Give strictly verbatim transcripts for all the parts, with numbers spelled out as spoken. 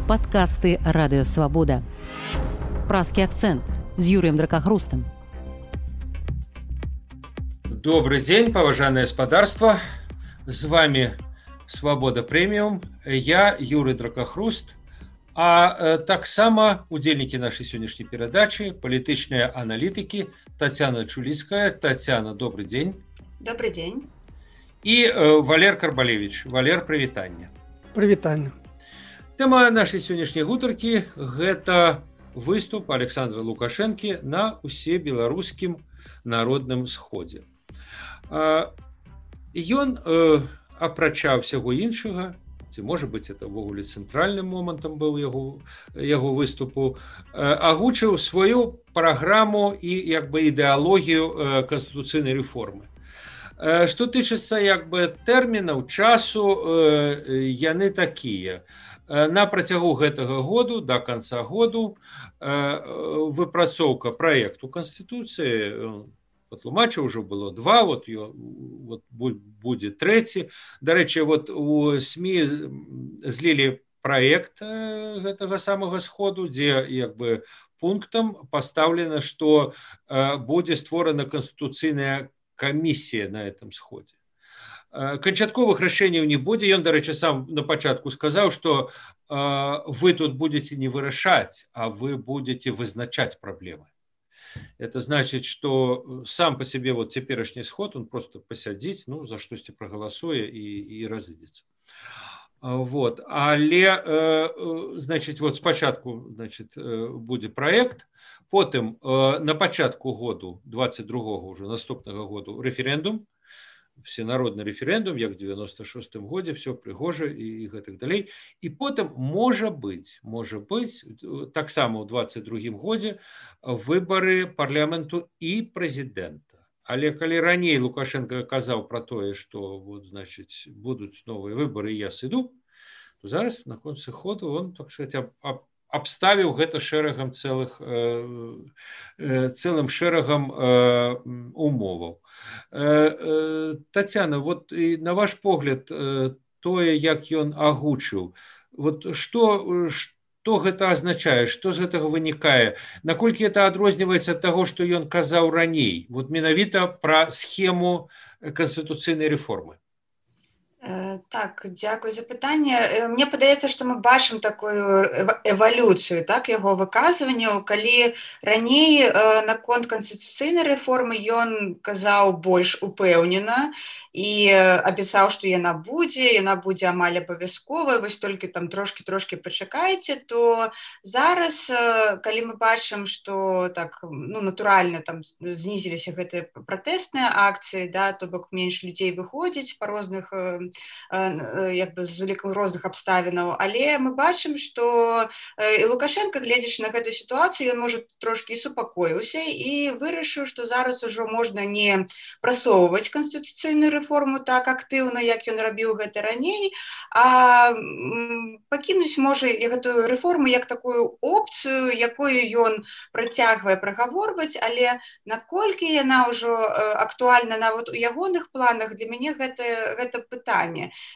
Подкасты «Радио Свобода». «Пражский акцент» с Юрием Дракохрустом. Добрый день, поважанное господарство. С вами «Свобода Премиум». Я Юрий Дракохруст. А э, таксама удзельнікі нашай сённяшняй перадачы, палітычныя аналітыкі Татьяна Чуліцкая. Татьяна, добрый день. Добрый день. И э, Валер Карбалевич. Валер, прывітанне. Прывітанне. Тэма нашай сённяшняй гутаркі – гэта выступ Александра Лукашэнкі на усебеларускім народным сходзе. Ён, э, апрача ўсяго іншага, ці, можа быць, это ўвогуле цэнтральным момантам быў яго, яго выступу, э, агучыў сваю праграму і як бы ідэалогію э, канстытуцыйнай рэформы. Э, што тычыцца як бы тэрмінаў, часу, э, яны такія. На працягу гэтага году, да канца году, выпрацоўка праекту Канстытуцыі, патлумачыў, ўжо было два, вот, вот будзе трэці. Дарэчы, вот у СМІ злілі праект гэтага самага сходу, дзе як бы пунктам пастаўлена, што будзе створана канстытуцыйная камісія на этом сходзе. Канчатковых рашэнняў не будзе. Ён, дарэчы, сам на пачатку сказаў, што э, вы тут будете не вырашаць, а вы будете вызначаць праблемы. Это значит, что сам по себе вот цяперашні сход, он просто пасядзіць, ну, за штосьці прагаласуе і, і разыдзецца. Вот. Але, э, значит, вот спачатку, значит, будзе праект, потым э, на пачатку году, двадцать другого уже наступнага году, рэферэндум, всенародны рэферэндум, як в девяносто шостым годзе, все прыгожа і гэтак далей. І потым, можа быць, можа быць, таксама ў двадцать другім годзе выбары парламенту і прэзідэнта. Але калі раней Лукашенко казаў пра тое, што вот, значыць, будуць новыя выбары, і я сыду, то зараз на концы ходу он, так сказать, аб абставіў гэта шэрагам цэлых, э, э, цэлым шэрагам э, умоваў. Э, э, Татьяна, вот і на ваш погляд, э, тое, як ён агучыў, вот што, што гэта азначае, што з гэтага вынікае, наколькі это адрозніваецца ад таго, што ён казаў раней, вот менавіта пра схему канстытуцыйнай рэформы? Так, дзякую за пытанне. Мне падаецца, што мы бачым такую эвалюцыю, так, яго выказванняў, калі раней наконт канстытуцыйнай рэформы ён казаў больш упэўнена і абяцаў, што яна будзе, яна будзе амаль абавязковая, вось толькі там трошкі-трошкі пачакайце, то зараз, калі мы бачым, што так, ну, натуральна там знізіліся гэтыя пратэсныя акцыі, да, то бок менш людзей выходзіць па розных як бы з улікам розных абставінаў, але мы бачым, што і Лукашенко, гледзячы на гэтую сітуацыю, ён, можа, трошкі і супакоіўся і вырашыў, што зараз ужо можна не прасоўваць канстытуцыйную рэформу так актыўна, як ён рабіў гэта раней, а пакінуць, можа, і гэтую рэформу як такую опцыю, якую ён працягвае прагаворваць, але наколькі яна ўжо актуальна нават у ягоных планах, для мяне гэта, гэта пытанне.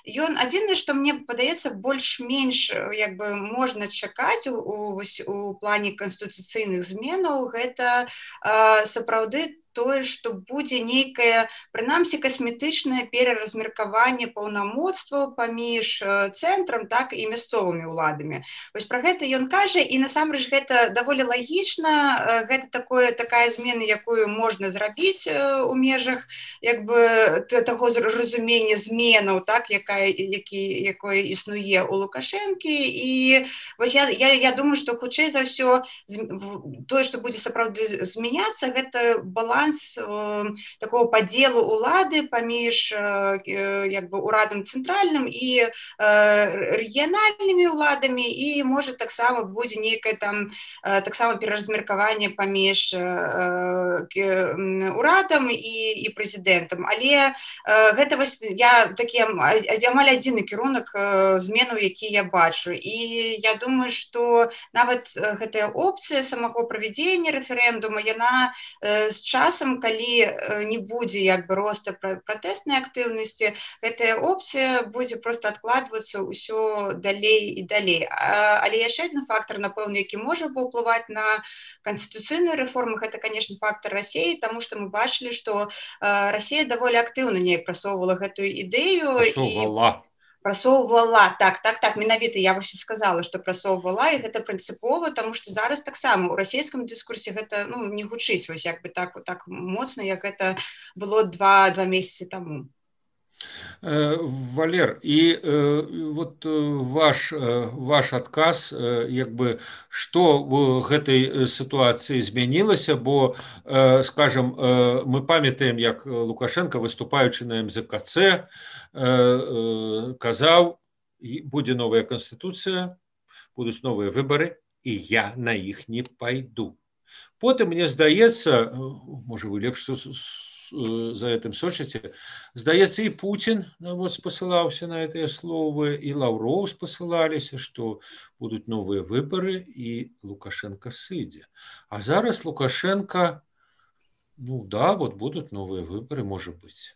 Ён адзінае, што мне падаецца, больш-менш як бы можна чакаць у, у, у плане канстытуцыйных зменаў, гэта э, сапраўды тое, што будзе нейкае, прынамсі, касметычнае пераразмеркаванне паўнамоцтваў паміж цэнтрам, так, і мясцовымі ўладамі. Вось пра гэта ён кажа, і насамрэч гэта даволі лагічна, гэта такое, такая змена, якую можна зрабіць у межах як бы таго разумення зменаў, так, якая, які, якое існуе у Лукашэнкі. І вось я, я, я думаю, што хутчэй за ўсё тое, што будзе сапраўды змяняцца, гэта баланс такого падзелу улады паміж як бы урадам цэнтральным і рэгіянальнымі ўладамі, і можа таксама будзе нейкае там таксама пераразмеркаванне паміж урадам і, і прэзідэнтам. Але гэта вось я такі амаль адзіны кірунак зменаў, які я бачу. І я думаю, што нават гэтая опцыя самого правядзення рэферэндума, яна з часам часам, калі не будзе як бы роста пратэснай актыўнасці, гэтая опцыя будзе проста адкладвацца ўсё далей і далей. Але яшчэ адзін фактор, напэўна, які можа паўплываць на канстытуцыйную рэформу, гэта, канешне, фактор Расіі, таму што мы бачылі, што Расія даволі актыўна неяк прасоўвала гэтую ідэю. Прасоўвала. Прасоўвала, так, так, так, менавіта я вось і сказала, што прасоўвала, і гэта прынцыпова, таму што зараз таксама ў расійскім дыскурсе гэта, ну, не гучыць вось як бы так, так моцна, як гэта было два, два месяцы таму. Валер, і э, вот ваш, ваш адказ, як бы, што в гэтай сітуацыі змянілася, бо, э, скажем, э, мы памятаем, як Лукашенко, выступаючы на эм зэ ка цэ, э, э, казаў, будзе новая канстытуцыя, будуць новыя выбары, і я на іх не пайду. Потым, мне здаецца, можа, вы лепш за этим сочыце, здаецца, і Путін вот, спасылаўся на гэтыя словы, і Лаўроў спасылаліся, што будуць новыя выбары, і Лукашенко сыдзе. А зараз Лукашенко, ну да, вот будуць новыя выбары, можа быць.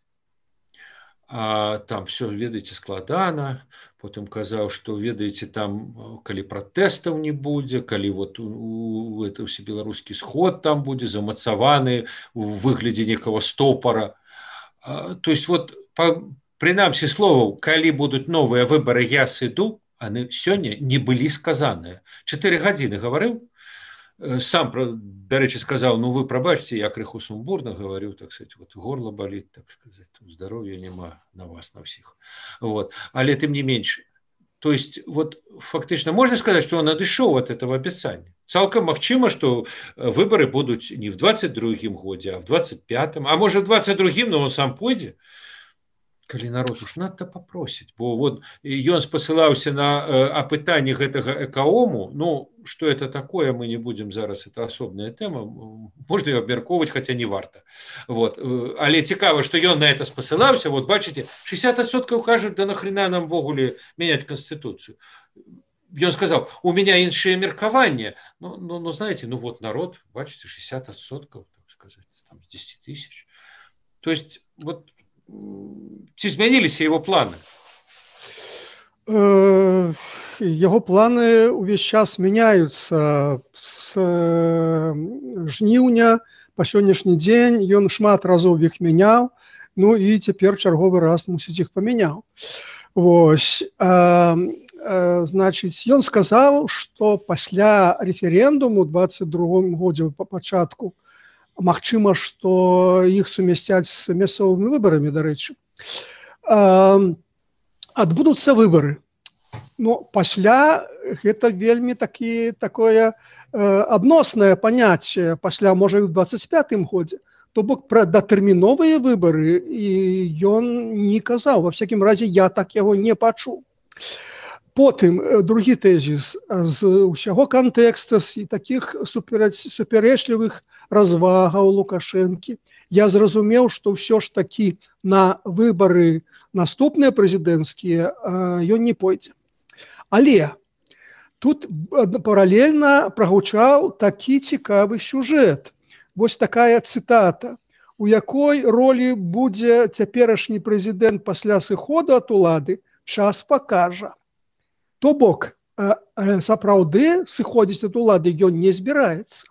А там все, ведаеце, складана, потым казаў, што, ведаеце, там, калі пратэстаў не будзе, калі вот у, это ўсе беларускі сход там будзе замацаваны у выглядзе некага стопара. А, то есть вот, па, прынамсі словаў, калі будуць новыя выбары, я сыду, яны сёння не былі сказаныя. Чатыры гадзіны гаварыў, сам, дарэчы, сказаў, ну вы прабачце, я крыху сумбурна гаварю, так сказать, вот горло болит, так сказать, здоровья нема на вас, на всіх. Вот. Але тым не менш, то есть, вот фактычна можна сказаць, што он адышоў ад этого абяцання. Цалкам магчыма, што выбары будуць не в двадцать другім годзе, а в двадцать пятым, а можа в двадцать другім, но он сам пойдзе. Калі народ уж надта попросіць, бо вот ён спасылаўся на э, апытанне гэтага экаому, ну, што это такое, мы не будем зараз, это асобная тэма, можна её абмяркоўваць, хаця не варта. Вот. Але цікава, што ён на это спасылаўся, вот бачыце, шестьдесят адсоткаў кажуць, да нахрена нам ввогуле мяняць канстытуцыю. Ён сказаў, у меня іншае меркаванне. Ну, ну, ну, знаете, ну вот народ, бачыце, шестьдесят адсоткаў, так сказать, там, з десяти тысяч. То есть, вот, ці змяніліся его планы? Яго планы ўвесь час мяняюцца. З жніўня па сённяшні дзень ён шмат разоў іх мяняў, ну і цяпер чарговы раз мусіць іх памяняў. Вось. А, а, значыць, ён сказаў, што пасля рэферэндуму ў двадцать другім годзе па пачатку магчыма, што іх сумясцяць з мясцовымі выбарамі, дарэчы. Адбудуцца выбары. Но пасля гэта вельмі такі, такое адноснае паняцце. Пасля, можа, і ў двадцать пятым годзе. То бок пра датэрміновыя выбары і ён не казаў. Ва всякім разе, я так яго не пачуў. Потым, другі тэзіс, з усяго кантэкста, з такіх супярэчлівых развагаў Лукашэнкі, я зразумеў, што ўсё ж такі на выбары наступныя прэзідэнцкія ён не пойдзе. Але тут паралельна прагучаў такі цікавы сюжэт. Вось такая цытата, у якой ролі будзе цяперашні прэзідэнт пасля сыходу ад улады, час пакажа. То бок, сапраўды сыходзіць ад улады ён не збіраецца.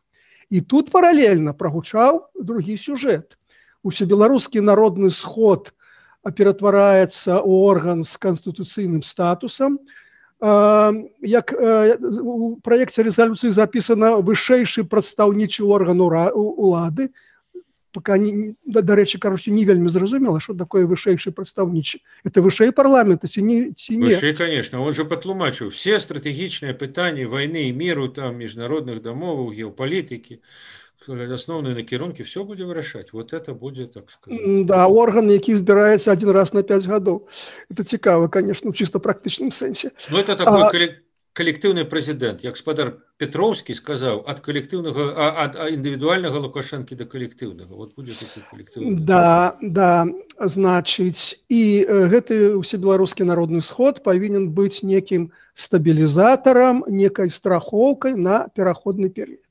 І тут паралельна прагучаў другі сюжэт. Усебеларускі народны сход ператвараецца ў орган з канстытуцыйным статусам. Як у праекце рэзалюцыі запісана вышэйшы прадстаўнічы орган улады, пока, дарэчы, кароче, не вельмі зразумела, что такое вышэйшы прадстаўнічы. Это вышэй парламента, ці не? Ці не? Вышэй, конечно. Он же патлумачыў. Все стратэгічныя пытанні войны и миру, там, международных дамоваў, геопалітыкі, основные накірункі, все будзе вырашаць. Вот это будет, так сказать. Да, орган, які збіраецца один раз на пять гадоў. Это цікава, конечно, в чисто практычным сэнсе. Ну, это такой а... коллективный президент, як спадар Петровский сказал, от коллективного, от индивидуального Лукашенко до коллективного. Вот будет такой коллективный. Да, да, значит, и гэты усебеларускі народны сход павінен быць некім стабілізатарам, некай страхоўкай на пераходны перыяд.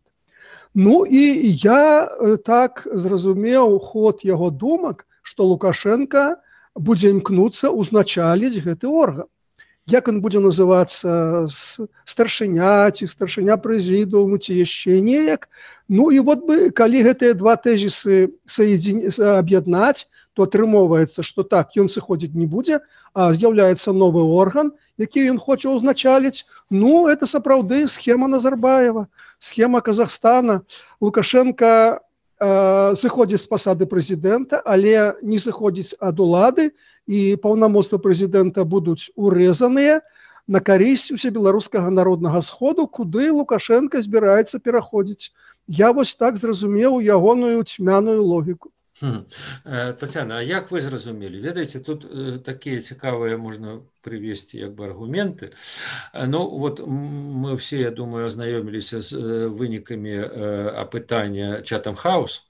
Ну і я так зразумеў ход яго думак, што Лукашенко будзе імкнуцца ўзначаліць гэты орган. Як ён будзе называцца, старшыня ці старшыня прэзідыуму ці яшчэ неяк. Ну і вот бы, калі гэтыя два тэзісы аб'яднаць, то атрымоўваецца, што так, ён сыходзіць не будзе, а з'яўляецца новы орган, які ён хоча ўзначаліць. Ну, это сапраўды схема Назарбаева, схема Казахстана. Лукашенко э, сыходзіць з пасады прэзідэнта, але не сыходзіць ад улады, і паўнамоцтвы прэзідэнта будуць урэзаныя на карысць усебеларускага народнага сходу, куды Лукашенко збіраецца пераходзіць. Я вось так зразумеў ягоную цьмяную логіку. Хм. Тацяна, а як вы зразумелі? Ведаеце, тут э, такія цікавыя можна прывесці як бы аргументы. Ну, вот мы все, я думаю, азнаёміліся з э, вынікамі э, апытання Chatham House.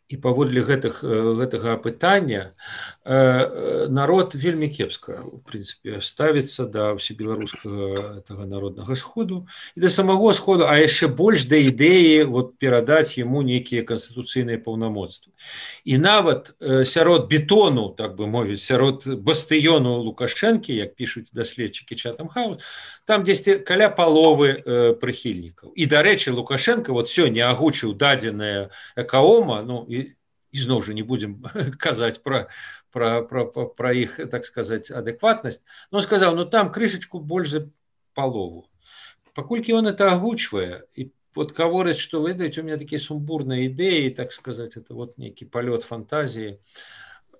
І паводле гэтых, гэтага апытання народ вельмі кепска, у прынцыпе, ставіцца да ўсебеларускага народнага сходу і да самого сходу, а яшчэ больш да ідэі вот, перадаць яму нейкія канстытуцыйныя паўнамоцтвы. І нават сярод бетону, так бы мовіць, сярод бастыёну Лукашэнкі, як пішуць даследчыкі Chatham House, там дзесьці каля паловы э, прыхільнікаў. І, дарэчы, Лукашенко вот сёння агучыў дадзенае Экаома, ну, і, і зноў жа не будзем казаць пра, пра, пра, пра, пра іх, так сказаць, адэкватнасць, но сказаў, ну, там крышачку больш за палову. Паколькі он это агучвае, і вот гаворыць, што, ведаеце, у меня такія сумбурныя ідэі, так сказаць, это вот нейкі палёт фантазіі,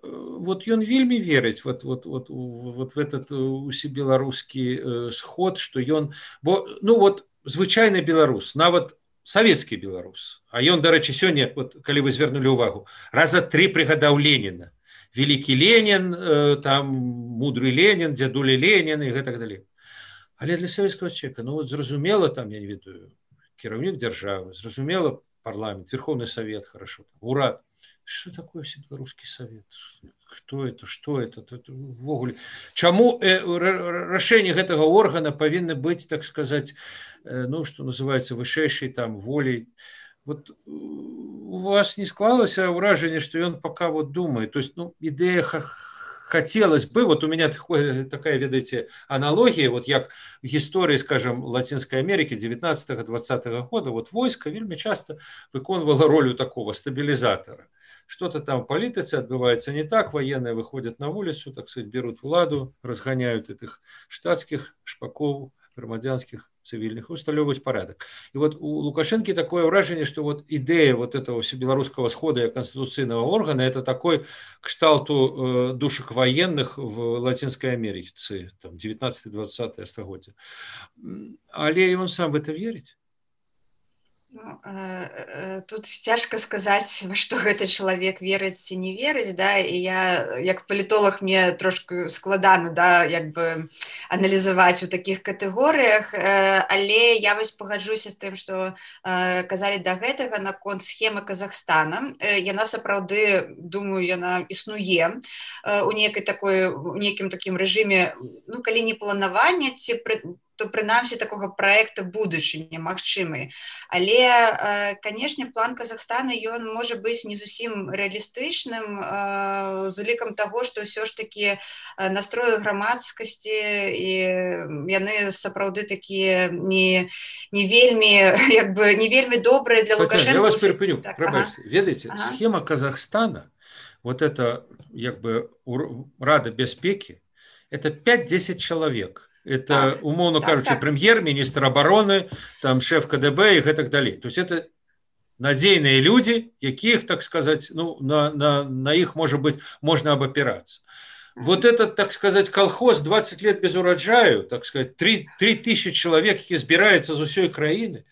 вот ён вельмі верыць вот, вот, вот, вот в этот усебеларускі сход, што ён, бо, ну вот, звычайны беларус, нават савецкі беларус, а ён, дарэчы, сёння, вот, калі вы звернулі ўвагу, раза тры прыгадаў Леніна. Велікі Ленін, там, мудры Ленін, дзядуля Ленін і гэтак далей. Але для савецкага чалавека, ну вот, зразумела, там, я не ведаю, кіраўнік дзяржавы, зразумела, парламент, Верховный Совет, хорошо, урад. Что такое всебеларускі совет? Кто это? Что это? это ввогуле. Чаму э, рашэнне гэтага органа павінны быць, так сказать, э, ну, что называется, вышэйшай там волей? Вот у вас не склалася ўражанне, что ён пока вот думает. То есть, ну, идея хотелось бы, вот у меня такое, такая, ведаеце, аналогия, вот як в истории, скажем, Латинской Америки девятнадцатого-двадцатого года, вот войско вельмі часто выконывало роль такого стабилизатора. Что-то там в политике отбывается не так, военные выходят на улицу, так сказать, берут владу, разгоняют этих штатских шпаков, громадянских, цивильных, усталёвывать порядок. И вот у Лукашенко такое выражение, что вот идея вот этого всебелорусского схода и конституционного органа, это такой кшталту э, душек военных в Латинской Америке, там, девятнадцатое-двадцатое стагоддзе. Але он сам в это верит? Ну, тут цяжка сказаць, во што гэты чалавек верыць ці не верыць, да, і я як палітолог мне трошку складана, да, як бы аналізаваць у такіх катэгорыях, але я вось пагаджуся з тым, што казалі да гэтага наконт схемы Казахстана. Яна сапраўды, думаю, яна існуе у нейкай такой, у нейкім такім рэжыме, ну, калі не планавання, ці пры то прынамсі такога праекта будучыні магчымы. Але, канешне, план Казахстана, ён можа быць не зусім рэалістычным, з улікам таго, што ўсё ж такі настроі грамадскасці, і яны сапраўды такія не, не вельмі, як бы, не вельмі добрыя для Лукашенко. Я вас перепыню, так, ага. Ведаеце, ага. Схема Казахстана, вот это, як бы, Рада бяспекі, это пять-десять человек. Это, так, умовно так, кажучи, так. Прем'єр-міністр обороны, там, шеф КДБ и так далее. То есть это надейные люди, яких, так сказать, ну, на, на, на их, может быть, можно обопираться. Вот этот, так сказать, колхоз двадцать лет без урожаю, так сказать, три тысячи человек, які збираються з усієї країни.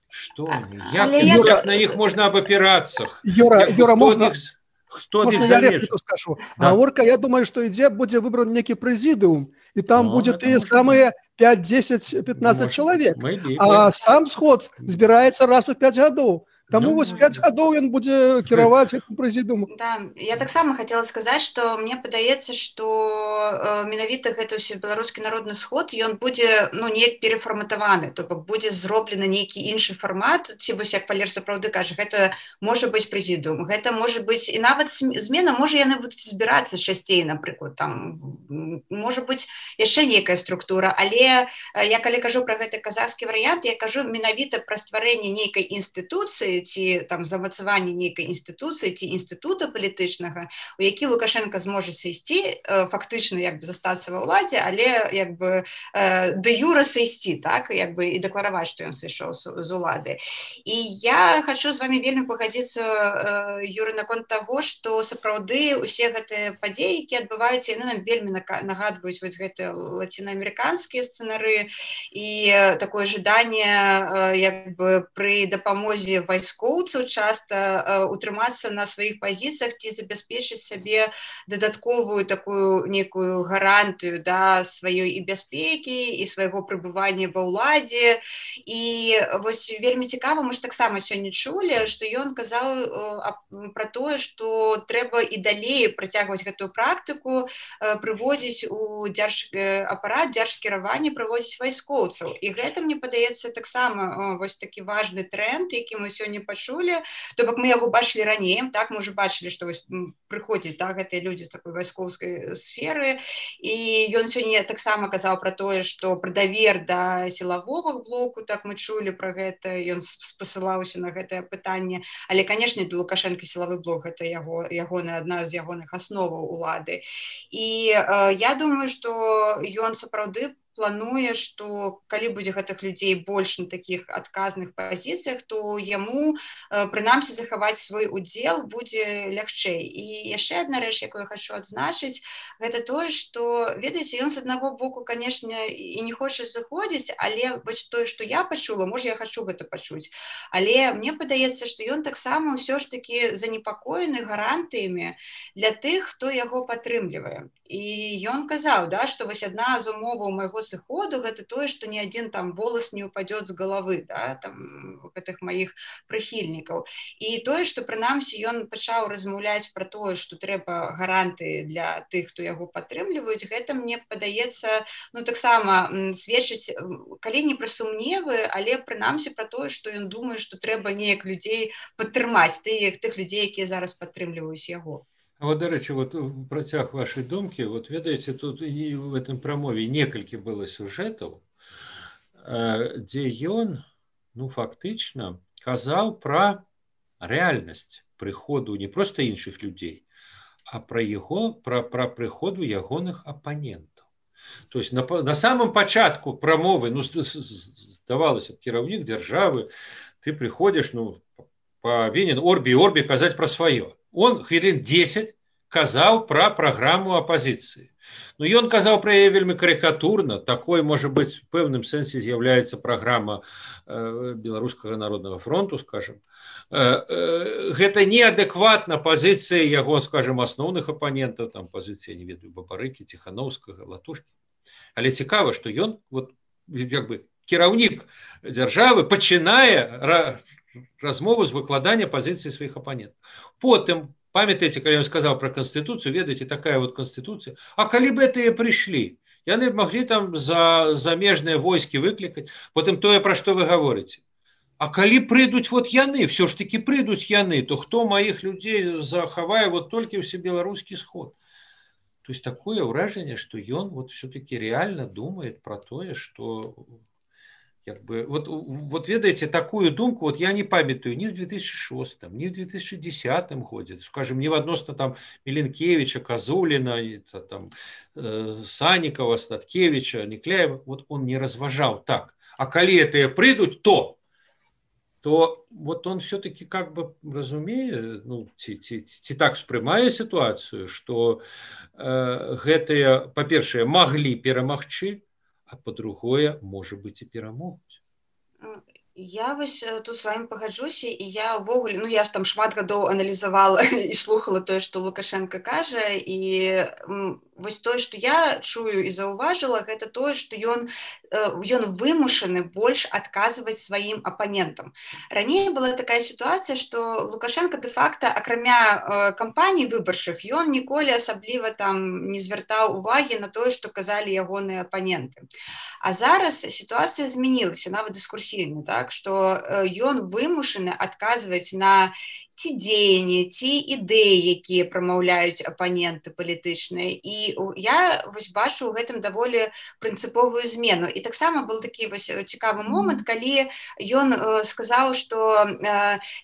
Что они? Як, як я... на них можно обопираться? Юра, як, Юра, можно... Них... Хто Можна я репліку скажу? Да. Гаворка, я думаю, што ідзе будзе выбран некі прэзідыум, і там ну, будзе тыя самыя пять, десять, пятнадцать чалавек. А сам сход збіраецца раз у пять гадоў. Таму Ну, вось может пяць быть. гадоў ён будзе кіраваць гэтым прэзідыумам. Да, я таксама хацела сказаць, што мне падаецца, што э, менавіта гэты ўсе беларускі народны сход ён будзе ну неяк перафарматаваны, то бок будзе зроблены нейкі іншы фармат, ці вось як Валер сапраўды кажа, гэта можа быць прэзідыум, гэта можа быць і нават см- змена, можа яны будуць збірацца часцей, напрыклад, там м, можа быць яшчэ нейкая структура, але э, я калі кажу пра гэты казахскі варыянт, я кажу менавіта пра стварэнне нейкай інстытуцыі ці там замацаванне нейкай інстытуцыі ці інстытута палітычнага, у які Лукашенко зможа сысці, э, фактычна як бы застацца ва ўладзе, але як бы э, дэ юра сысці, так, як бы і дэклараваць, што ён сышоў з, з улады. І я хочу з вами вельмі пагадзіцца, э, Юры, наконт таго, што сапраўды усе гэтыя падзеі, які адбываюцца, яны нам вельмі нака- нагадваюць вось гэтыя лацінаамерыканскія сцэнары і э, такое жаданне э, як бы пры дапамозе вайскоўцаў часта э, утрымацца на сваіх пазіцыях ці забяспечыць сабе дадатковую такую некую гарантыю да сваёй і бяспекі і свайго прыбывання ва ўладзе. І вось вельмі цікава, мы ж таксама сёння чулі, што ён казаў э, а- пра тое, што трэба і далей працягваць гэтую практыку, э, прыводзіць у дзярж э, апарат дзяржкіравання, прыводзіць вайскоўцаў. І гэта, мне падаецца, таксама э, вось такі важны тренд, які мы сёння пачулі. То бок мы яго бачылі раней, так, мы ўжо бачылі, што вось м, прыходзяць так, гэтыя людзі з такой вайскоўскай сферы. І ён сёння таксама казаў пра тое, што пра давер да сілавога блоку, так мы чулі пра гэта, ён с- спасылаўся на гэтае пытанне. Але, канешне, для Лукашенка сілавы блок гэта яго, ягоная адна з ягоных асноваў улады. І э, я думаю, што ён сапраўды плануе, што калі будзе гэтых людзей больш на такіх адказных пазіцыях, то яму э, прынамсі захаваць свой удзел будзе лягчэй. І яшчэ адна рэч, якую я хочу адзначыць, гэта тое, што, ведаеце, ён з аднаго боку, канешне, і не хоча заходзіць, але вось тое, што я пачула, можа, я хочу гэта пачуць, але мне падаецца, што ён таксама ўсё ж такі занепакоены гарантыямі для тых, хто яго падтрымлівае. І ён казаў, да, што вось адна з умоваў майго сыходу гэта тое, што ні адзін там волас не упадёт з галавы, да, там гэтых маіх прыхільнікаў. І тое, што прынамсі ён пачаў размаўляць пра тое, што трэба гарантыі для тых, хто яго падтрымліваюць, гэта мне падаецца, ну таксама м, сведчыць, м, калі не пра сумневы, але прынамсі пра тое, што ён думае, што трэба неяк людзей падтрымаць, тых, тых людзей, якія зараз падтрымліваюць яго. А вот, до речі, вот в працяг вашей думки, вот ведаеце, тут і в этом прамове некалькі было сюжэтаў, э, дзе ён, ну, фактычна казаў пра рэальнасць прыходу не проста іншых людзей, а пра яго, пра, пра прыходу ягоных апанентаў. То есть на, па- на самом пачатку прамовы, ну, зд- з- здавалася б, кіраўнік дзяржавы, ты прыходзіш, ну, павінен орбі і орбі казаць пра сваё. Он хвілін дзесяць казаў пра праграму апазіцыі. Ну, ён казаў пра яе вельмі карыкатурна, такой, можа быць, в пэўным сэнсе з'яўляецца праграма э, Беларускага народнага фронту, скажем. Э, э, гэта неадэкватна пазіцыі яго, скажем, асноўных апанентаў, там пазіцыя, не ведаю, Бабарыкі, Ціханаўскага, Латушкі. Але цікава, што ён, вот, як бы, кіраўнік дзяржавы пачынае ра- размову з выкладання пазіцыі сваіх апанентаў. Потым, памятаеце, калі ён сказаў пра канстытуцыю, ведаеце, такая вот канстытуцыя, а калі б гэтыя прыйшлі, яны б маглі там за замежныя войскі выклікаць, потым тое, пра што вы гаворыце. А калі прыйдуць вот яны, все ж таки прыйдуць яны, то хто маіх людзей захавае вот толькі ўсе беларускі сход? То есть такое ўражанне, што ён вот все-таки реально думает про тое, что як бы, вот, вот ведаеце, такую думку, вот я не памятаю ни в две тысячи шостом, ни в две тысячи десятом годзе, скажем, не в адносна там Миленкевича, Козулина, там, э, Санникова, Статкевича, Никляева, вот он не разважал так. А калі это прыйдуць, то то вот он все-таки как бы разумее, ну, ці, ці, ці так успрымае ситуацию, что э, гэтыя, па-першае, маглі перамагчы, а по-другое, можа быць, і перамогуць. Я вось тут з вами пагаджуся, і я ўвогуле, ну я ж там шмат гадоў аналізавала і слухала тое, што Лукашенко кажа, і м, вось тое, што я чую і заўважыла, гэта тое, што ён ён вымушаны больш адказваць сваім апанентам. Раней была такая сітуацыя, што Лукашенко дэ-факта, акрамя кампаній выбарчых, ён ніколі асабліва там не звяртаў увагі на тое, што казалі ягоныя апаненты. А зараз сітуацыя змянілася, нават дыскурсійна, так, што ён вымушаны адказваць на ці дзеянні, ці ідэі, якія прамаўляюць апаненты палітычныя. І я вось бачу ў гэтым даволі прынцыповую змену. І таксама был такі вось цікавы момант, калі ён сказаў, што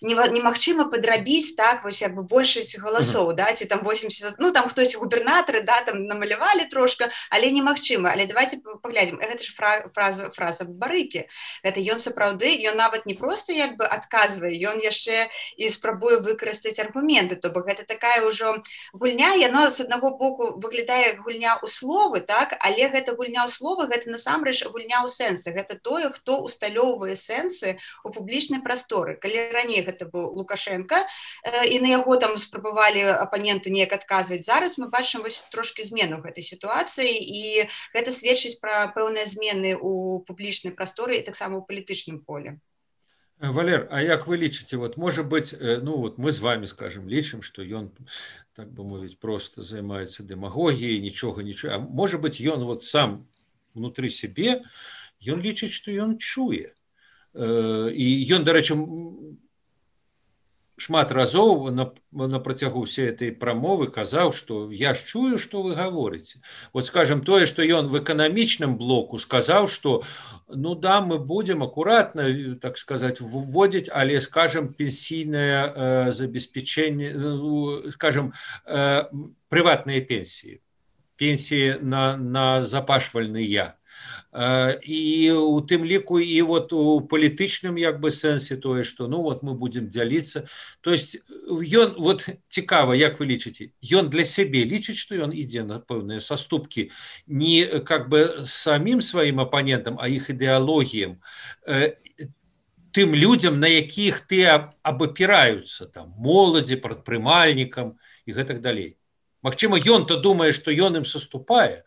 немагчыма падрабіць, так, вось як бы большасць галасоў, да, ці там восемьдесят, ну там хтось губернатары, да, там намалявалі трошка, але немагчыма. Але давайте паглядзім, гэта ж фраза, фраза барыкі. Гэта ён сапраўды, ён нават не проста як бы адказвае, ён яшчэ і спрабуе выкарыстаць аргументы, то бок гэта такая ўжо гульня, яно з аднаго боку выглядае як гульня ў словы, так, але гэта гульня ў словы, гэта насамрэч гульня ў сэнсы, гэта тое, хто усталёўвае сэнсы ў публічнай прасторы. Калі раней гэта быў Лукашенко, і на яго там спрабавалі апаненты неяк адказваць, зараз мы бачым вось трошкі змену гэтай сітуацыі, і гэта сведчыць пра пэўныя змены ў публічнай прасторы і таксама ў палітычным поле. Валер, а як вы лічыце, вот, можа быць, ну вот мы з вами, скажем, лічым, што ён, так бы мовіць, просто займаецца дэмагогіяй, нічога, нічога, а можа быць, ён вот сам внутры сябе, ён лічыць, што ён чуе. І ён, дарэчы, шмат разоў на, на працягу всей этой прамовы казаў, што я ж чую, што вы гаворыце. Вот, скажем, тое, што ён в эканамічным блоку сказаў, што ну да, мы будем аккуратно, так сказать, вводить, але, скажем, пенсійное э, забеспечение, э, скажем, э, приватные пенсии, пенсии на, на запашвальныя. І у тым ліку і вот у палітычным як бы сэнсе тое, што ну вот мы будем дзяліцца. То есть ён, вот цікава, як вы лічыце, ён для сябе лічыць, што ён ідзе на пэўныя саступкі не как бы самім сваім апанентам, а іх ідэалогіям, тым людзям, на якіх ты абапіраюцца, там, моладзі, прадпрымальнікам і гэтак далей. Магчыма, ён-то думае, што ён ім саступае,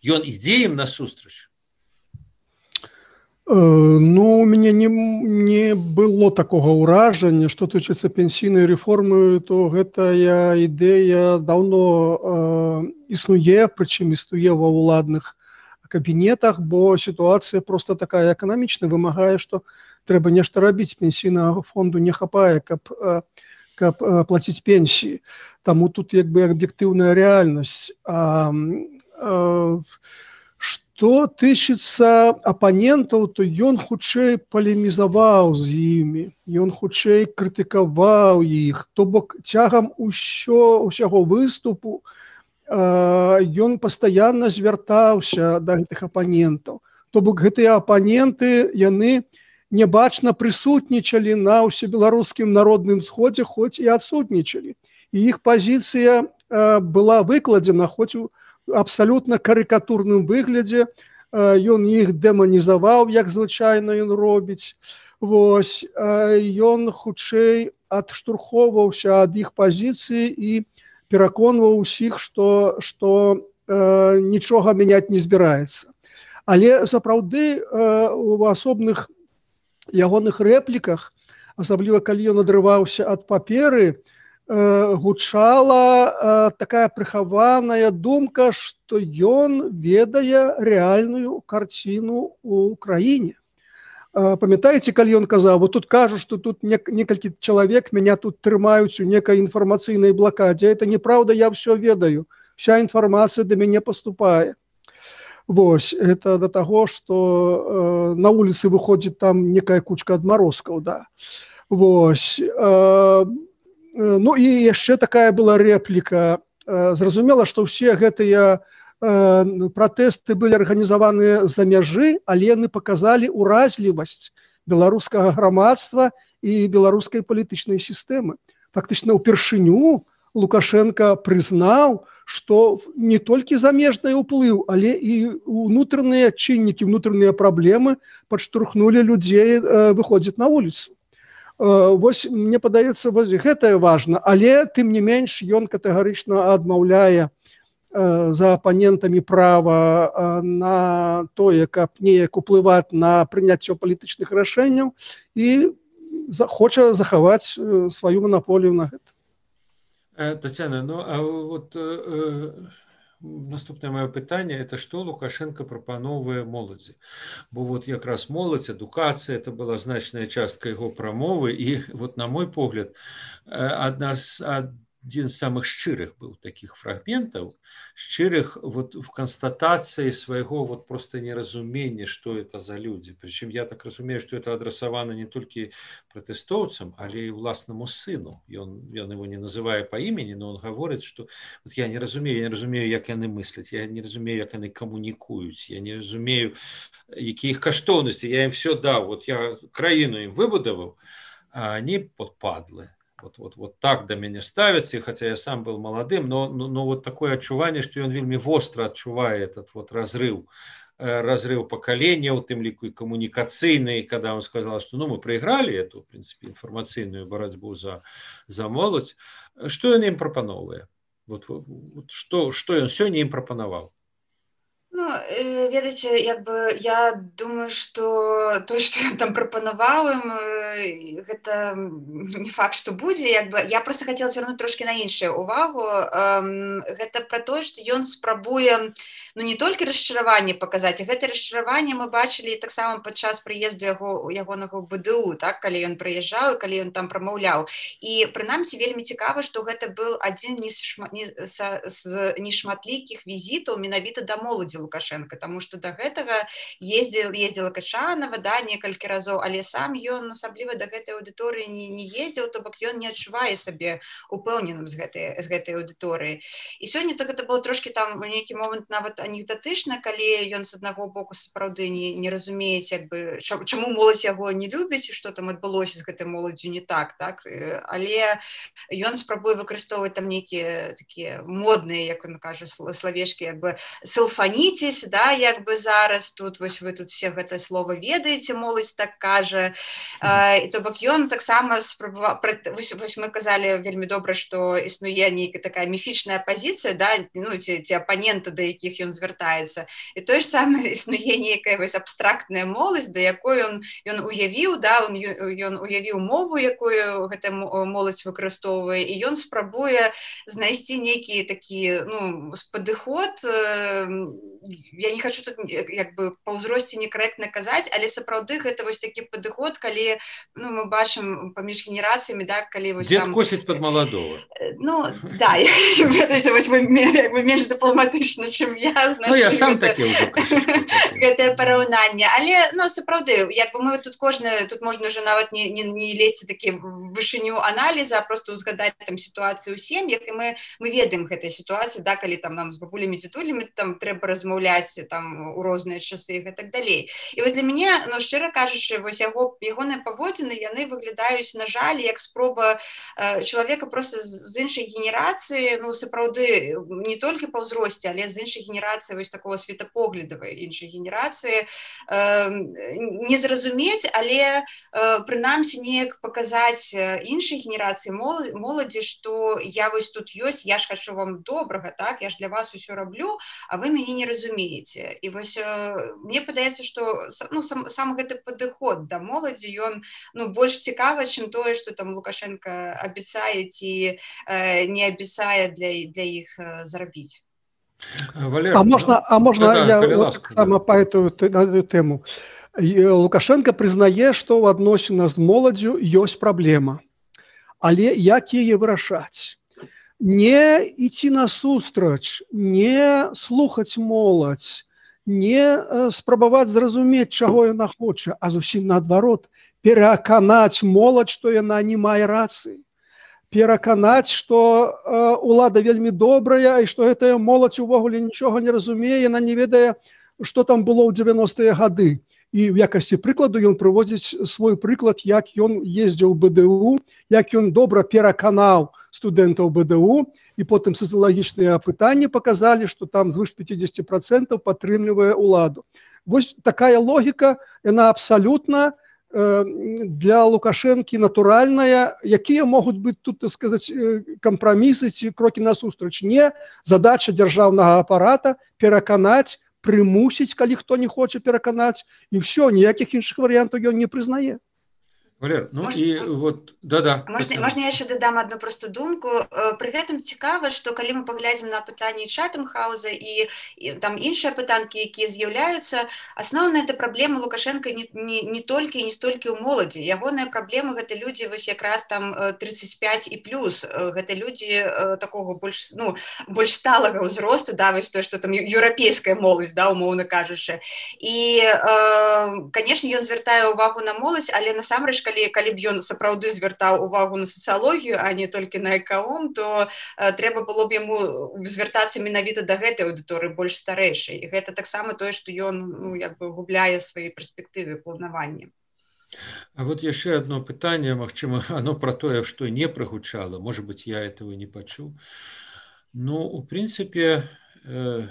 ён ідзе ім насустрач. Ну, у мяне не, не было такога ўражання, што тычыцца пенсійнай рэформы, то гэтая ідэя даўно э, існуе, прычым існуе ва ўладных кабінетах, бо сітуацыя проста такая эканамічная, вымагае, што трэба нешта рабіць, пенсійнага фонду не хапае, каб, каб плаціць пенсіі. Таму тут як бы аб'ектыўная рэальнасць. А, а, Што тычыцца апанентаў, то ён хутчэй палемізаваў з імі, ён хутчэй крытыкаваў іх, то бок цягам усё, усяго выступу э, ён пастаянна звяртаўся да гэтых апанентаў. То бок гэтыя апаненты, яны нябачна прысутнічалі на ўсебеларускім народным сходзе, хоць і адсутнічалі. І іх пазіцыя э, была выкладзена, хоць у абсалютна карыкатурным выглядзе, ён іх дэманізаваў, як звычайна ён робіць. Вось, ён хутчэй адштурхоўваўся ад іх пазіцыі і пераконваў усіх, што, што э, нічога мяняць не збіраецца. Але сапраўды у асобных ягоных рэпліках, асабліва калі ён адрываўся ад паперы, гучала такая прыхаваная думка, што ён ведае рэальную карціну ў краіне. Памятаеце, калі ён казаў, вот тут кажу, што тут некалькі чалавек мяне тут трымаюць у некай інфармацыйнай блакадзе. Это неправда, я ўсё ведаю. Вся інфармацыя да мяне паступае. Вось, это да таго, што на вуліцы выходзіць там некая кучка адмарозкаў, да. Вось. Ну і яшчэ такая была рэпліка. Зразумела, што ўсе гэтыя пратэсты былі арганізаваныя за мяжы, але яны паказалі ўразлівасць беларускага грамадства і беларускай палітычнай сістэмы. Фактычна, ўпершыню Лукашенко прызнаў, што не толькі замежны ўплыў, але і ўнутраныя чыннікі, ўнутраныя праблемы падштурхнулі людзей выходзіць на вуліцу. Вось, мне падаецца, вось гэта важна, але тым не менш ён катэгарычна адмаўляе за апанентамі права на тое, каб неяк уплываць на прыняцце палітычных рашэнняў і хоча захаваць сваю манаполію на гэта. Татьяна, ну а вот э, наступное мое пытанне, это што Лукашенко прапановвае моладзі? Бо вот якраз моладзь, адукацыя, это была значная частка яго прамовы, і вот на мой погляд, адна з один з самых шчырых быў таких фрагментаў, шчырых вот в констатации своего вот просто неразумения, что это за люди. Причем я так разумею, что это адресовано не только протестовцам, але и власному сыну. И он, он его не называя по имени, но он говорит, что вот я не разумею, я не разумею, як яны мыслят, я не разумею, як яны коммуникуют, я не разумею, які их каштоўнасці, я им все дал, вот я краіну им выбудовал, а они подпадлы. Вот, вот, вот так до меня ставятся, хотя я сам был молодым, но, но, но вот такое отчувание, что он вельми остро отчувает этот вот разрыв, разрыв поколения, в тем лику и коммуникационный, когда он сказал, что ну, мы проиграли эту, в принципе, информационную борьбу за, за молодь. Что он им пропановывает? Вот, вот, вот, что, что он сегодня им пропоновал? Ну, ведаеце, як бы я думаю, што тое, што ён там прапанаваў ім, гэта не факт, што будзе, як бы я проста хацела звярнуць трошкі на іншую увагу. Гэта пра тое, што ён спрабуе ну не толькі расчараванне паказаць, а гэта расчараванне мы бачылі таксама падчас прыезду яго ягонага бэ дэ у, так, калі ён прыязджаў, калі ён там прамаўляў. І прынамсі вельмі цікава, што гэта быў адзін з нешматлікіх візітаў менавіта да моладзі Лукашенко, тому што да гэтага ездзіл, ездзіла Качанова, да, некалькі разоў, але сам ён асабліва да гэтай аўдыторыі не, не ездзіў, то бок ён не адчувае сабе упэўненым з гэтай, з гэтай аўдыторыі. І сёння то гэта было трошкі там у нейкі момант нават анекдотычна, калі ён з аднаго боку сапраўды не, не разумеець, як бы, чаму моладзь яго не любіць, і што там адбылося з гэтай моладдзю не так, так, але ён спрабуе выкарыстоўваць там нейкія такія модныя, як он кажа, словечкі, як бы сэлфаніцесь, да, як бы зараз тут, вось вы тут все гэта слово ведаеце, моладзь так кажа, і то бок ён таксама спрабаваў, вось, вось мы казалі вельмі добра, што існуе нейкая такая міфічная пазіцыя, да, ну, ці, ці апаненты, да якіх ён звяртаецца. І тое ж самае існуе нейкая вось абстрактная моладзь, да якой ён, ён уявіў, да, ён, ён уявіў мову, якую гэта моладзь выкарыстоўвае, і ён спрабуе знайсці нейкі такі, ну, падыход. Я не хочу тут як бы па ўзросце некарэктна казаць, але сапраўды гэта вось такі падыход, калі ну, мы бачым паміж генерацыямі, да, калі вось дед там... косіць пад маладого. Ну, да, ведаеце, вось вы, вы менш дыпламатычна, чым я. Ну, я сам такі ўжо крышачку. Гэтае параўнанне, але, ну, сапраўды, як бы мы тут кожны, тут можна ўжо нават не, не, не лезці такі вышыню аналіза, а проста узгадаць там сітуацыю ў сем'ях, і мы, мы ведаем гэтай сітуацыі, да, калі там нам з бабулямі, дзетулямі там трэба размаўляць там у розныя часы і так далей. І вось для мяне, ну, шчыра кажучы, вось яго, ягоныя паводзіны, яны выглядаюць, на жаль, як спроба э, чалавека просто з іншай генерацыі, ну, сапраўды, не толькі па ўзросце, але з іншай генерацыі, вось такого светапоглядавай іншай генерацыі, э, не зразумець, але э, прынамсі неяк паказаць іншай генерацыі моладзі, што я вось тут ёсць, я ж хачу вам добрага, так, я ж для вас усё раблю, а вы мяне не разумееце. І вось э, мне падаецца, што ну, сам, сам гэты падыход да моладзі, ён ну, больш цікавы, чым тое, што там Лукашенко абяцае ці э, не абяцае для, для іх э, зарабіць. Валер, а можна, а можна да, я вот, ласка, сама да. По эту, на эту тему. Лукашенко прызнае, што ў адносінах з моладдзю ёсць праблема. Але як яе вырашаць? Не ідці насустрач, не слухаць моладзь, не спрабаваць зразумець, чаго яна хоча, а зусім наадварот, пераканаць моладзь, што яна не мае рацыі. Пераканаць, што э, улада вельмі добрая і што гэтая моладзь увогуле нічога не разумее, яна не ведае, што там было ў дзевяностыя гады. і ў якасці прыкладу ён прыводзіць свой прыклад, як ён ездзіў у БДУ, як ён добра пераканаў студэнтаў БДУ, і потым сацыялагічныя апытанні паказалі, што там звыш пяцьдзесят процентаў падтрымлівае ўладу. Вось такая логіка, яна абсалютна для Лукашэнкі натуральная. Якія могуць быць тут, так сказаць, кампрамісы ці крокі насустрач? Не, задача дзяржаўнага апарата пераканаць, прымусіць, калі хто не хоча пераканаць, і ўсё, ніякіх іншых варыянтаў ён не прызнае. Валер, ну Можна- і вот, да-да. Можна, Тацяна. можна я яшчэ дадам одну просту думку. Э, Пры гэтым цікава, што калі мы паглядзім на пытанні Чатэмхаўза і, і там іншыя пытанкі, якія з'яўляюцца, асноўная это праблема Лукашенка не, не, не толькі і не столькі ў моладзі. Ягоныя праблемы гэта людзі вось якраз там э, тридцать пять і плюс. Э, Гэта людзі э, такога больш, ну, больш сталага ўзросту, да, вось то, што там ю- еўрапейская моладзь, да, умоўна кажучы. І, э, канешне, ён звяртае ўвагу на моладзь, але насамрэч, калі, калі б ён сапраўды звяртаў увагу на сацыялогію, а не толькі на экаом, то э, трэба было б яму звяртацца менавіта да гэтай аўдыторыі больш старэйшай. І гэта таксама тое, што ён, ну, як бы губляе свае перспектывы планавання. А вот яшчэ одно пытанне, магчыма, оно про тое, што не прагучала, может быть, я этого не пачуў. Ну, у прынцыпе, э,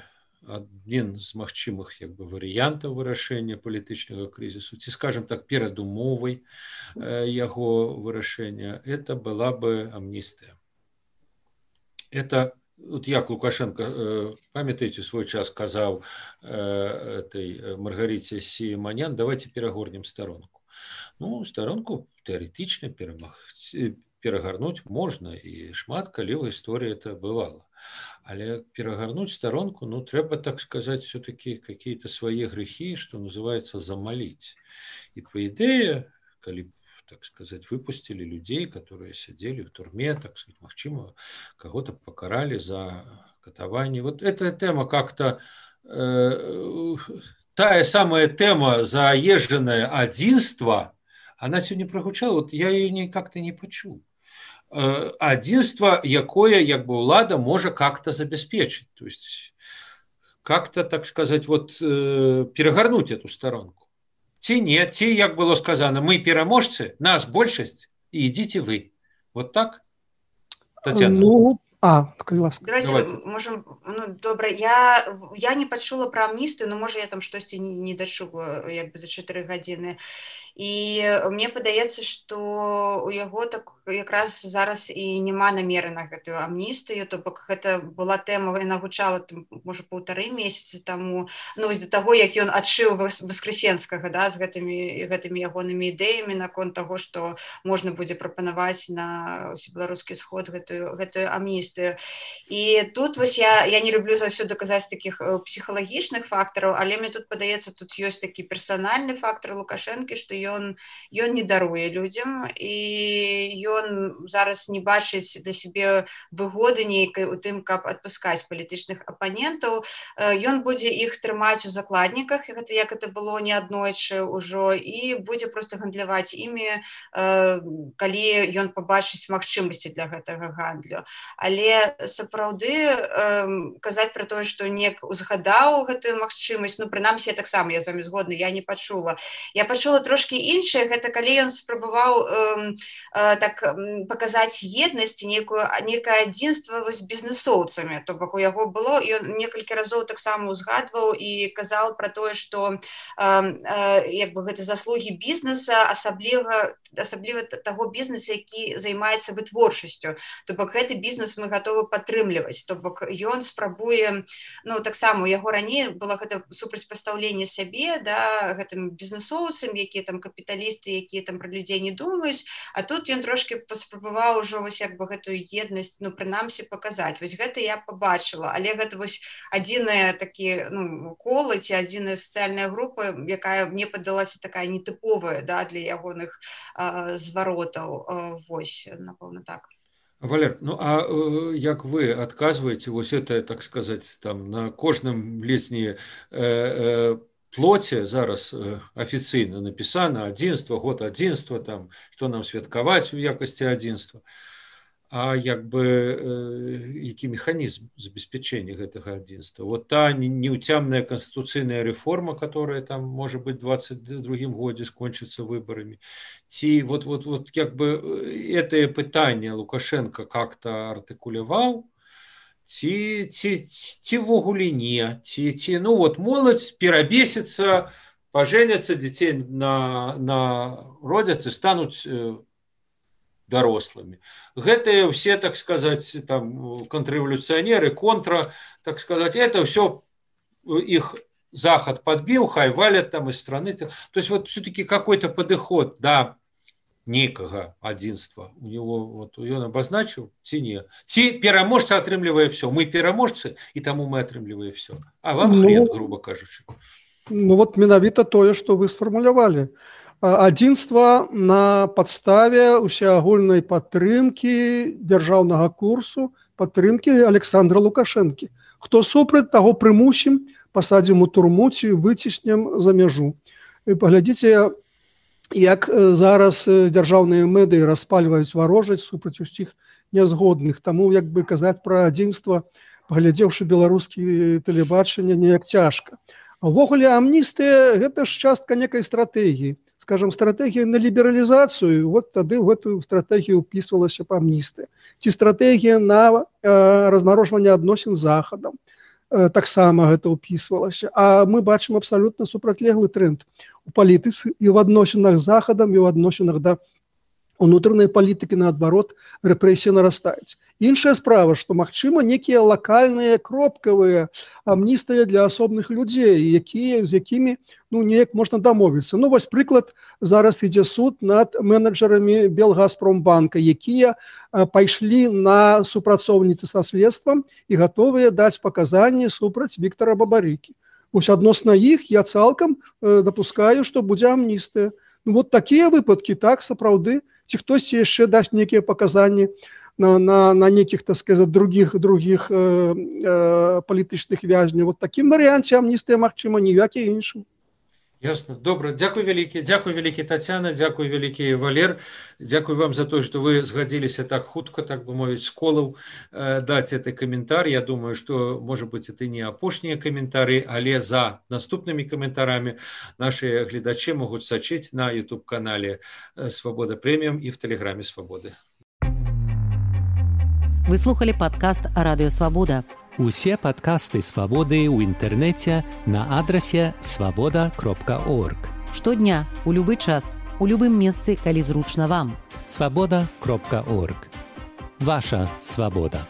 адзін з магчымых як бы варыянтаў вырашэння палітычнага крызісу, ці, скажем так, перадумовай э, яго вырашэння, это была бы амністыя. Это, вот як Лукашенко, э, памятаеце, свой час казаў э, этой Маргарице Сіманян, давайте перагорнем старонку. Ну, старонку тэарэтычна перамагці, перагарнуць можна, і шмат калі ў гісторыі это бывало. Але перагарнуць старонку, ну, трэба, так сказать, все-таки какие-то свои грехи, что называется, замолить. И по идее, калі, так сказать, выпустили людей, которые сидели в турме, так сказать, магчыма, кого-то покарали за катаванне. Вот эта тема как-то, э, тая самая тема заезженное адзінства, она сегодня прогучала, вот я ее не, как-то не почуў. Адзінства, якое, як бы, ўлада можа как-то забяспечыць, то есть как-то, так сказать, вот перагарнуць эту сторонку. Ці не, ці, як было сказано, мы пераможцы, нас большасць, і ідзіце вы. Вот так, Тацяна? Ну, а, калі ласка. Давайте, Давайте. можем, ну, добра, я, я не пачула пра амністыю, но можа я там штосьці не, не дачула, як бы, за чатыры гадзіны. І мне падаецца, што у яго так якраз зараз і няма намеры на гэтую амністыю, то бок гэта была тэма, яна гучала там, можа, паўтары месяцы таму, ну, вось да таго, як ён адшыў Васкрэсенскага, да, з гэтымі, гэтымі ягонымі ідэямі наконт таго, што можна будзе прапанаваць на ўсебеларускі сход гэтую, гэтую амністыю. І тут вось я, я не люблю заўсёды казаць такіх псіхалагічных фактараў, але мне тут падаецца, тут ёсць такі персанальны фактар Лукашэнкі, што ён, ён не даруе людзям, і ён зараз не бачыць да сябе выгоды нейкай у тым, каб адпускаць палітычных апанентаў. Ён будзе іх трымаць у закладніках, гэта як это было неаднойчы ўжо, і будзе проста гандляваць імі, калі ён пабачыць магчымасці для гэтага гандлю. Але сапраўды казаць пра тое, што нек узгадаў гэтую магчымасць, ну, прынамсі, я таксама, я з вамі згодна, я не пачула. Я пачула трошкі іншае, гэта калі ён спрабаваў э, э, так паказаць еднасць, некую, некае адзінства з бізнесоўцамі, то бок у яго было, ён некалькі разоў таксама узгадваў і казаў пра тое, што э, э, як бы гэта заслугі бізнеса, асабліва, асабліва таго бізнеса, які займаецца вытворчасцю, то бок гэты бізнес мы гатовы падтрымліваць, то бок ён спрабуе, ну, таксама у яго раней было гэта супрацьпастаўленне сябе, да, гэтым бізнесоўцам, якія там капіталісты, якія там пра людзей не думаюць, а тут ён трошки паспрабаваў ужо вось як бы гэтую еднасць, ну, прынамсі паказаць. Вось гэта я пабачыла, але гэта вось адзіная такі, ну, колы ці адзіная сацыяльная група, якая мне падалася такая нетыповая, да, для ягоных э, зваротаў. Э, вось, напэўна, так. Валер, ну а э, як вы адказваеце вось это, так сказаць, там на кожным летні э, э, плоце зараз э, афіцыйна напісана адзінства, год адзінства, там, што нам святкаваць у якасці адзінства. а як бы які механізм забеспячэння гэтага адзінства. Вот та неўцямная канстытуцыйная рэформа, которая там можа быть двадцать другім годзе скончыцца выбарамі, ці вот вот вот як бы гэтае пытанне Лукашенко как-то артыкуляваў, ці ці ці ўвогуле не, ці ці ну вот моладзь перабесіцца, пажэняцца, дзяцей на на родзяць і стануць дарослымі. Гэтыя ўсе, так сказаць, там контррэволюцыянеры, контра, так сказаць, это ўсё іх Захад подбіў, хай валят там из страны. То есть вот все-таки какой-то подыход да нейкага адзінства у него вот ён абазначыў ці не. Ці пераможца атрымлівае все. Мы пераможцы, і таму мы атрымліваем все. А вам хрен, грубо кажучы. Ну вот менавіта тое, што вы сфармулявалі. Адзінства на падставе усеагульнай падтрымкі дзяржаўнага курсу, падтрымкі Александра Лукашэнкі. Хто супраць, таго прымусім, пасадзім у турму ці выціснем за мяжу. І паглядзіце, як зараз дзяржаўныя медыі распальваюць варожаць супраць усіх нязгодных. Таму, як бы казаць пра адзінства, паглядзеўшы беларускі тэлебачанне, неяк цяжка. А ўвогуле амністыя – гэта ж частка некай стратэгіі. Скажем, стратегія на лібералізацыю, вот тады в эту стратегію ўпісвалася б амністыя. Ці стратегія на э, размарожванне адносін з Захадам, э, таксама гэта ўпісвалася. А мы бачым абсалютна супрацьлеглы тренд у палітыцы і ў адносінах з Захадам, і ў адносінах да унутранай палітыкі, наадварот, рэпрэсіі нарастаюць. Іншая справа, што, магчыма, некія лакальныя, кропкавыя амністыя для асобных людзей, якія, з якімі ну, неяк можна дамовіцца. Ну, вось прыклад, зараз ідзе суд над менеджерамі Белгазпромбанка, якія пайшлі на супрацоўніцы са следствам і гатовыя даць паказанні супраць Віктара Бабарыкі. Вось адносна іх я цалкам дапускаю, што будзе амністыя. Ну, вот такія выпадкі, так, сапраўды, ці хтосьці яшчэ дасць некія паказанні на, на, на некіх, так сказаць, другіх, другіх э, э, палітычных вязняў. Вот такім варыянце амністыя, магчыма, ніякі іншым. Ясно. Добра. Дзякуй вялікі. Дзякуй вялікі, Тацяна, дзякуй вялікі, Валер. Дзякуй вам за то, што вы згадзіліся так хутка, так бы мовіць, з колаў э, даць гэты каментар. Я думаю, што, можа быць, это не апошнія каментары, але за наступнымі каментарамі нашыя гледачы могуць сачыць на YouTube-канале «Свобода Премиум» і в Телеграме «Свободы». Вы слухали падкаст «Радыё Свабода». Усе падкасты «Свабоды» ў інтэрнэце на адрасе свабода кропка орг. Штодня, у любы час, у любым месцы, калі зручна вам. свабода кропка орг. Ваша свабода.